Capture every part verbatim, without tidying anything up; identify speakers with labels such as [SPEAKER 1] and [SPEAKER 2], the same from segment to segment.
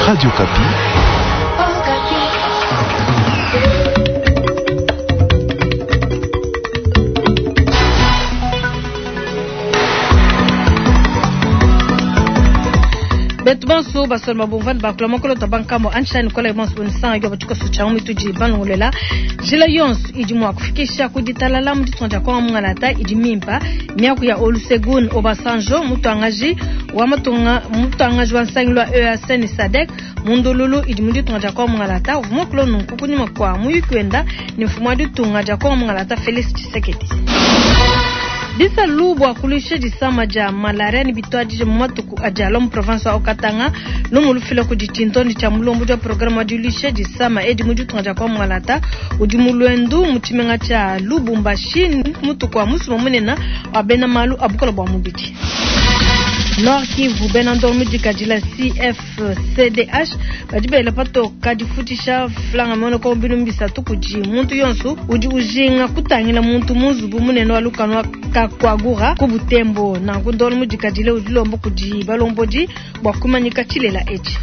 [SPEAKER 1] Radio Okapi.
[SPEAKER 2] Betu bonso basoloma bumvani bakula mokolo ta bankambo anshani kola bonso bonisanga yo batuka sucha mu tuji banongolela jila yonso idi mwa kufikisha kuditalala mu ditonja dia konga mungalata idi mimpa miaku ya Olusegun Obasanjo mutuangaji wa matunga mutuangaji wa nsangi lwa E A C ni SADC mundululu idi mu ditunga dia konga mungalata uvua muakula nunku kunyima kua muyuki wenda ni mfumu wa ditunga dia konga mungalata Felix Tshisekedi. Bisalu bua kuluisha disama dia malaria ni bituadije mu matuku adi alua mu province wa Haut-Katanga lumu lufila kudi tshintondi tshia mulombodi wa programme wa diluisha disama edi mu ditunga dia kongo mungalata udi mu luendu mu tshimenga tshia Lubumbashi mutuku wa musumba munene wa bena malu a bukola bua mubidi. Nord Kivu bena ndongo mudikadila C F C D H badi bela patoka difutisha flanga monoko binunu bisatu kudi muntu yonso udi ujinga kutangila muntu mu nzubu munene wa lukanu wa Kakwagura ku Butembo. Nanku ndongo mudikadile udi lomba kudi balombodi bua kumanyika tshilela etshi.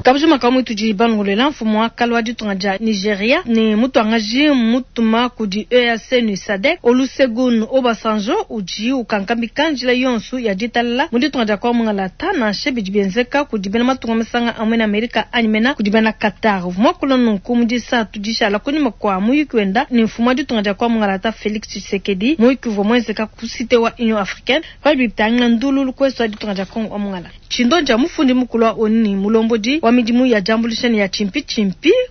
[SPEAKER 2] Kabujima kamwe tudi bangolela mfumu wa kale wa ditunga dia Nigeria ne mutuangaji mutuma kudi E A C ni SADC Olusegun Obasanjo udi ukankamika njila yonso ya ditalala mu ditunga dia kongo mungalata nansha bidi bienzeka kudi bena matunga masanga amwe na Amerika anyi mena kudi bena Qatar. Uvua muakula nunku mu disatu dishala kunyima kua muyuki wenda ne mfumu wa ditunga dia kongo mungalata Felix Tshisekedi. Muyuki uvua muenzeka ku cité wa Union Africaine padi bitangila ndululu kwesu wa ditunga dia Kongo wa mungalata. Tshindonja mufundi mukulu wa ONU ni mulombodi wa midimu ya diambuluisha ya chimpi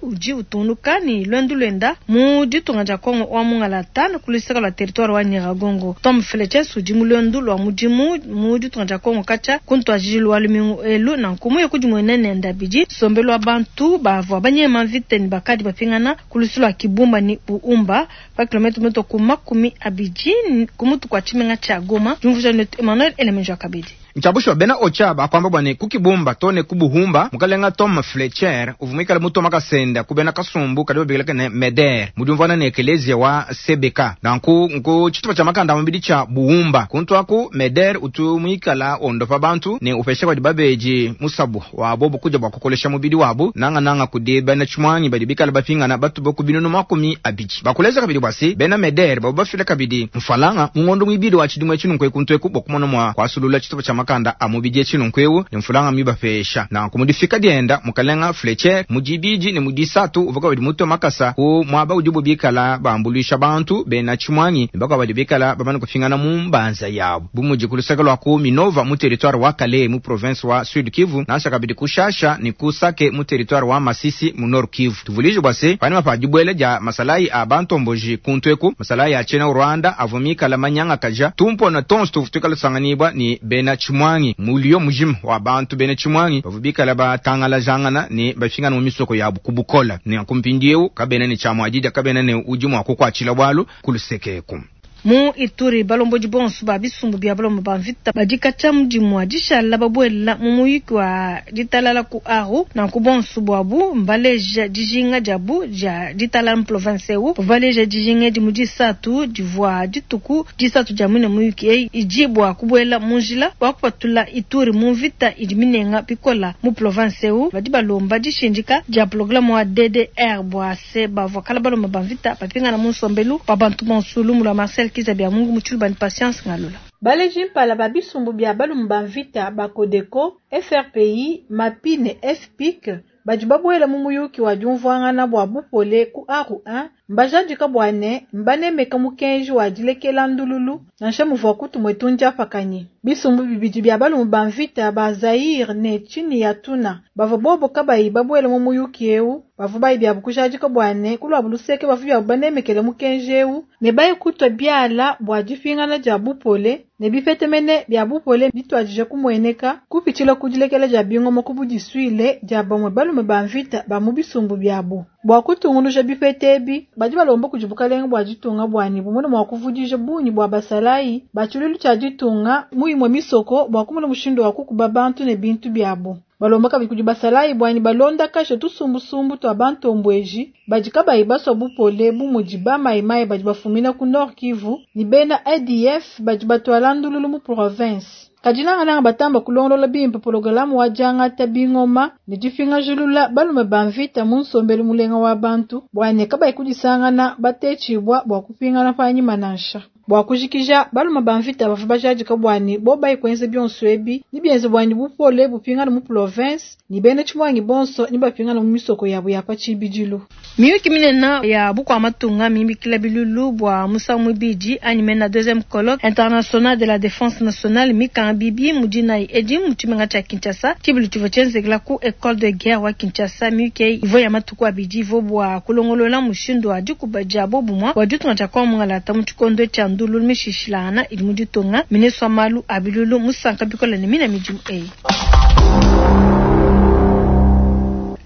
[SPEAKER 2] udi utungunuka ni lwendu lwenda mu ditunga dia Kongo wa mungalata na kuluseka lwa territoire wa Nyiragongo. Tom Fletcher udi mu lwendu lwa mudimu mu ditunga dia Kongo katshia kuntuadijilo wa lumingu elu nanku muye kudi muenene ndabidi nsombelu wa bantu bavua banyema mvita ni bakadi bapingana ku lusu lwa Kibumba ni Buumba pa kilomètre meto ku makumi abidi ku mutu kua tshimenga tshia Goma. Diumvuija netu Emmanuel Elemenjo Kabidi.
[SPEAKER 3] Ntshabushuwa bena ocha bakwamba bwane kukibumba tone kubuhumba mukalenga Tom Fletcher uvumikala mutoma kasenda kubena kasumbu kadi babikila ne meder mudiumvana ne ekelezia wa C B K nanku nku tshitupa tshia makanda mubidi tshia buhumba kuntu aku meder utu muikala ondopa bantu ne upesha badi babeji musabu wabo bukuja bua kukolesha mubidi wabu nanga nanga kudi bena tshimwanyi badi bikala bapingana batu boku binunu makumi abidi bakuleza kabidi bwasi bena meder babo bafila kabidi mfalanga mungondo mwibidi wa tshidimwe tshinunku ekuntu eku bokumona mwa kwasulula tshitupa tshia makanda a mubidi etshilunku ne mfulanga mibapesha nanku mudifika dienda mukalenga Fletcher mudibidi ne mudisatu uvuka badi mutwe makasa ku mwaba udi bubikala bambuluisha bantu bena tshimwanyi ne bakwa badi bikala bamane kufingana mu mbanza yabo bumudi ku luseke lwa ku Minova mu territoire wa Kalehe mu province wa Sud Kivu nansha kabidi ku Shasha ne ku Sake mu territoire wa Masisi mu Nord Kivu. Tuvulije bwase panima pa dibwele dia masalayi a bantomboji kuntu eku masalayi a tshena Rwanda avumikala manyanga kaja tumpona tonso tuvu tuikala tusanganibwa ni bena tshimwangi mulio mujima wa bantu bena tshimwangi bavu bikala batangala jangana ne bafingana mu misoko yabu kubukola ne kumpindieu kabena ne tshiamuadidi kabena ne udi mua kukuatshila bwalu kulusekeku.
[SPEAKER 2] Mu Ituri balombodi bonso ba bisumbu bia balomba ba mvita badi katshia mudimu wa dishala babuela mu muyuki wa ditalala ku Aru. Nanku bonso buabu mbaleja dijinga diabu dia ditalala mu province eu. Baleja dijinga edi mu disatu divua dituku disatu dia muine muyuki eyi idi bua kubuela mu njila wa kupatula Ituri mu mvita idi minenga bikola mu province eu. Badi balomba dishindika dia programme wa D D R bua se bavua kala balomba ba mvita bapingana mu nsombelu wa bantu bonso. Lumu lwa Marcel Kiza bya Mungu mutshilu bani Patience Ngalula.
[SPEAKER 4] Baleji mpala ba bisumbu bia balumu ba mvita ba Codeco, F R P I, MAPI ne F P I C badi babuela mu muyuki wa diumvuangana bua bupole ku Aru un mbajadika bua ne mbanemeka mukenji wa dilekela ndululu nansha muvua kutumue tundiapakanyi. Bisumbu bibidi bia balumu ba mvita ba Zaire ne Chini ya Tuna bavua bobo kabayi babuela mu muyuki eu bavua bayi biabu kujadika bua ne kuluabu luseke bavua biabu banemekele mukenji eu ne bayi kutua biala bua dipingana dia bupole ne bipete mene bia bupole bituadije kumueneka kupitshila ku dilekela dia bingoma ku budisuile dia bamue balume ba mvita ba mu bisumbu biabu. Bua kutungunuja bipete ebi badi balomba kudi bukalenga bua ditunga buani bumone mua kuvudija bungi bua basalayi ba tshiluilu tshia ditunga mu imue misoko bua kumona mushindu wa kukuba bantu ne bintu biabu. Balomba kabidi kudi basalayi bua ne balondakaje tusumbusumbu tua bantombueji badi kabayi basua bupole bu mudi ba mayimayi badi bafumina ku Nord Kivu ne bena A D F badi batuala ndululu mu province. Kadi nangananga batamba kulongolola bimpe pologalamu wa diangata bingoma ne dipingajulula balume ba mvita mu nsombelu mulenga wa bantu bua ne kabayi kudisangana batetshibua bua kupingana panyima nansha. Bua kujikija, balume ba mvita bavua bajadika bua ne bobayi kuenza bionso ebi ne bienze bua ne bupole bupingana mu province ne bena tshimuangi bonso ne bapingana mu misoko yabo ya pa tshibidilu.
[SPEAKER 2] Miyuki minene ya bukua matunga mibikila bilulu bua musangu muibidi anyi mena deuxième colloque international de la défense nationale mikanga bibi mu dinayi edi mu tshimenga tshia Kinshasa. Tshibilu tshivua tshienzekela ku école de guerre wa Kinshasa. Miyuki eyi ivua ya matuku abidi ivua bua kulongolola mushindu wa dikuba dia bobumua bua ditunga dia Kongo mungalata mu tshikondo tshia ndululu mishishilangana idi mu ditunga. Ministre wa malu a bilulu musanka bikole ne mina midimu eyi.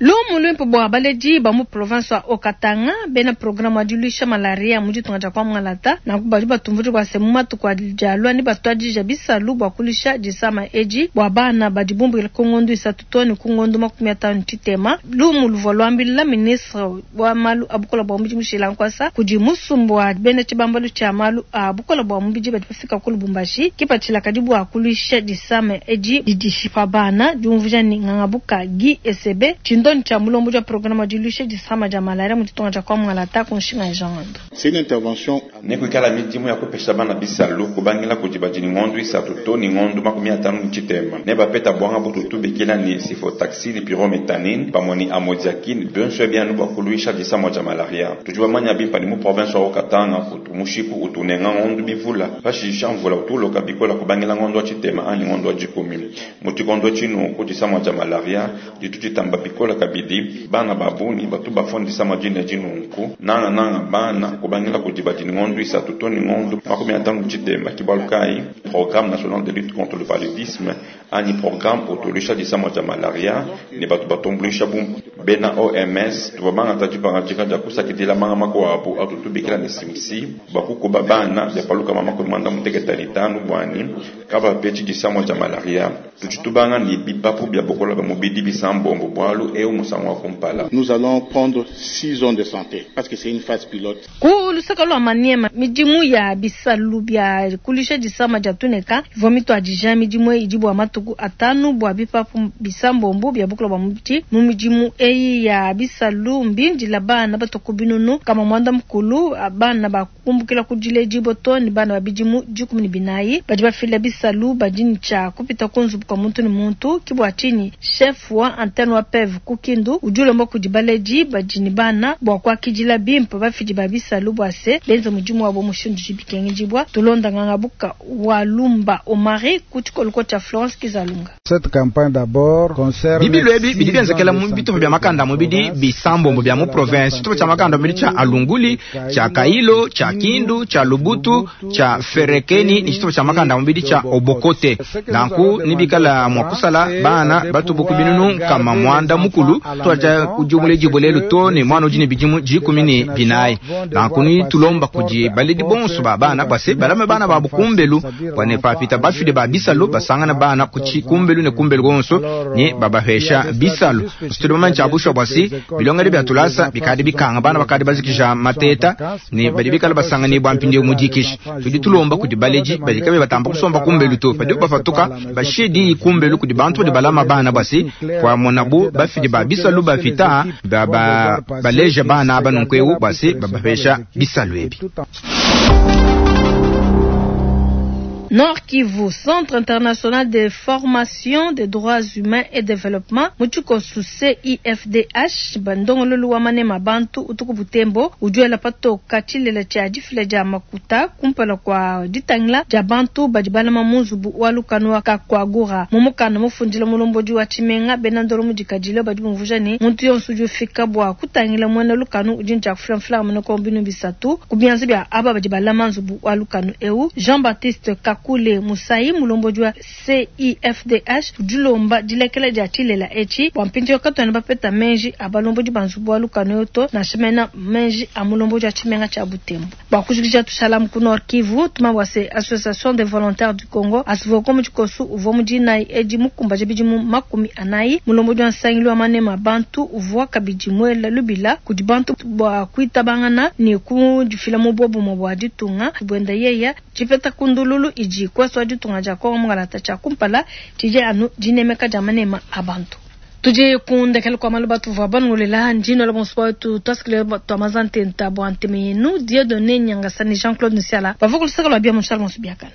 [SPEAKER 2] Lumu luimpe bua baledi ba mu province wa Haut-Katanga, bena programme wa diluisha malaria mu ditunga dia Kongo mungalata nanku badi batumvudi bua se mu matuku adi alua ne batuadija bisalu bua kulusha disama edi bua bana badi bumbukila ku ngondu isatu to ne ku ngondu makumi atanu tshitema. Lumu luvua luambila ministre wa malu a bukola bua mubidi mushila nkuasa kudi musumbu wa bena tshibambalu tshia malu a bukola bua mubidi badi bafika ku Lubumbashi. Kipatshila kadi bua kuluisha disama edi didishipa bana. Diumvuija ni ngangabuka Guy Esebe, tshindoni tshia mulombodi wa programme wa diluisha disama dia malaria mu ditunga dia Kongo mungalata, ku nshinga ya Jean Ngando.
[SPEAKER 1] C'est une intervention.
[SPEAKER 5] Nekuikala midimu ya kupesha bana bisalu kubangila kudi badi ni ng'ondu isatu to ni ng'ondu makumi atanu ni tshitema ne bapeta bwanga bututu bikila ni cefotaxime pyriméthamine pamue ni amodiaquine bionso bianu bua kuluisha disama dia malaria. Tudi bamanya bimpa ni mu province wa Haut-Katanga kutu mushiku utunenga ng'ondu bivula pashisha mvula utuloka bikola kubangila ng'ondu wa tshitema anyi ng'ondu wa dikumi mu tshikondo tshinu ku disama dia malaria ditu ditamba bikola kabidi bana babuni batu bafua disama dine dinunku nanga nanga bana kubangila kudi badi ni ng'ondu isatu to ni ng'ondu makumi atanu tshitema. Kibalu kai programme national de lutte contre le paludisme anyi programme utuluisha disama dia malaria ne batu batumbuluisha bu bena O M S tuvua bangata dipangadika dia kusakidila manga makuabu atutubikila ne simsi bakukuba bana bia paluka makumi mwanda muteketa ni tanu bwani kabapetshi disama dia malaria. Tudi tubanga ni bipapu bia bokola bia mubidi bisambombo bwalu eu musangu wa kumpala.
[SPEAKER 1] Nous allons prendre six zones de santé parce que c'est une phase pilote.
[SPEAKER 2] Ku lusaka lua Maniema, midimu ya bisalu bia kulisha disama dia tuneka ivua mituadija. Midimu eyi idi bua matuku atanu bua bipapu bisambombo bia bukola bua mubidi. Mu midimu eyi ya bisalu mbindila bana batuku binunu kama mwanda mukulu, bana bakumbukila ku diledibua to ne bana ba bidimu dikumi ne binayi. Badi bafila bisalu badi ne tshia kupita ku nzubu kua muntu ne muntu. Kibua tshinyi chef wa antenne wa P E V ku Kindu udi ulomba kudi baledi badi ne bana bua kuakidila bimpe bafidi ba bisalu bua se benze mudimu wabo mushindu dibikengedibua. Tulonda ngangabuka wa Lumba Omari ku tshikoloko tshia Florence Kizalunga.
[SPEAKER 6] Cette campagne d'abord concerne
[SPEAKER 3] Bibilu ebi bidi bienzekela mu bitupa bia makanda mubidi bisambombo bia mu province: tshitupa tshia makanda mubidi tshia Alunguli, tshia Kailo, tshia Kindu, tshia Lubutu, tshia Ferekeni ni tshitupa tshia makanda mubidi tshia Obokote. Nanku nibikala mua kusala bana batubuku binunu kama mwanda mukulu twaja kujumule jibulelu to ne mwana udi ne bidimu dikumi ne binayi. Nanku ni tulomba kudi baledi bonso ba bana base balame bana babu kumbelu bwane papita bafide ba bisalu basangana bana kuchi kumbelu ne kumbelu gonso ne babahesha bisalu. Situdi bamanyi tshia bwasi bilongedi bia tulasa bikadi bikanga bana bakadi bazikisha mateta ne badi bikala basangani bwa mpindieu mudikisha. Tudi tulomba kudi baledi badi kabe batamba kusomba kumbelu to padi bafatuka bashidi kumbelu kudi bantu badi balama bana bwasi kwa monabu bafidi ba bisalu bafita ba baleja bana aba nunkueu bwasi babahesha bisalu ebi.
[SPEAKER 2] Nord Kivu, Centre international de formation des droits humains et développement, muchikosu C I F D H, bandongololu wa manema bantu utuku Butembo, ujuela patoka tshilela tshia difila dia makuta kumpala kwa ditangila dia bantu badi balama mu nzubu wa lukanu wa Kakwagura. Mu mukanda mufundila mulombodi wa tshimenga, bena ndolo mudikadile badi bumvuja ne muntu yonso udi ufika bua kutangila muena lukanu udi ntshia kufila mfulanga mene ko binu bisatu ku bianza bia aba badi balama nzubu wa lukanu eu. Jean Baptiste Kakule Musai mulombodi wa C I F D H udi ulomba dilekela dia tshilela etshi bua mpindieu katuena bapeta menji a balombodi ba nzubu wa lukanu to nansha mena menji a mulombodi wa tshimenga tshia Butembo. Bua kujikija tushalamu ku Nord Kivu tumabwa se Association des volontaires du Congo ASVOCO mu tshikosu uvua mu dinayi edi mukumbaja bidimu makumi anayi. Mulombodi wa nsangilu wa manema bantu uvua kabidi muela lubila kudi bantu bua kuitabangana ne kudifila mu bobumwe bua ditunga buenda yeya tshipeta kundululu idi kwesa wa ditunga dia Kongo mungalata tshia kumpala tshidi anu dinemeka dia manema a bantu. Tudi kundekela kwa malu batuvua bangolela ndino la bonso wetu twasikile twamazantenta bua nteme yenu Dieudonné Nyangasani Jean-Claude Nsiala bavua kulusaka lwa bia mushala bonso biakana.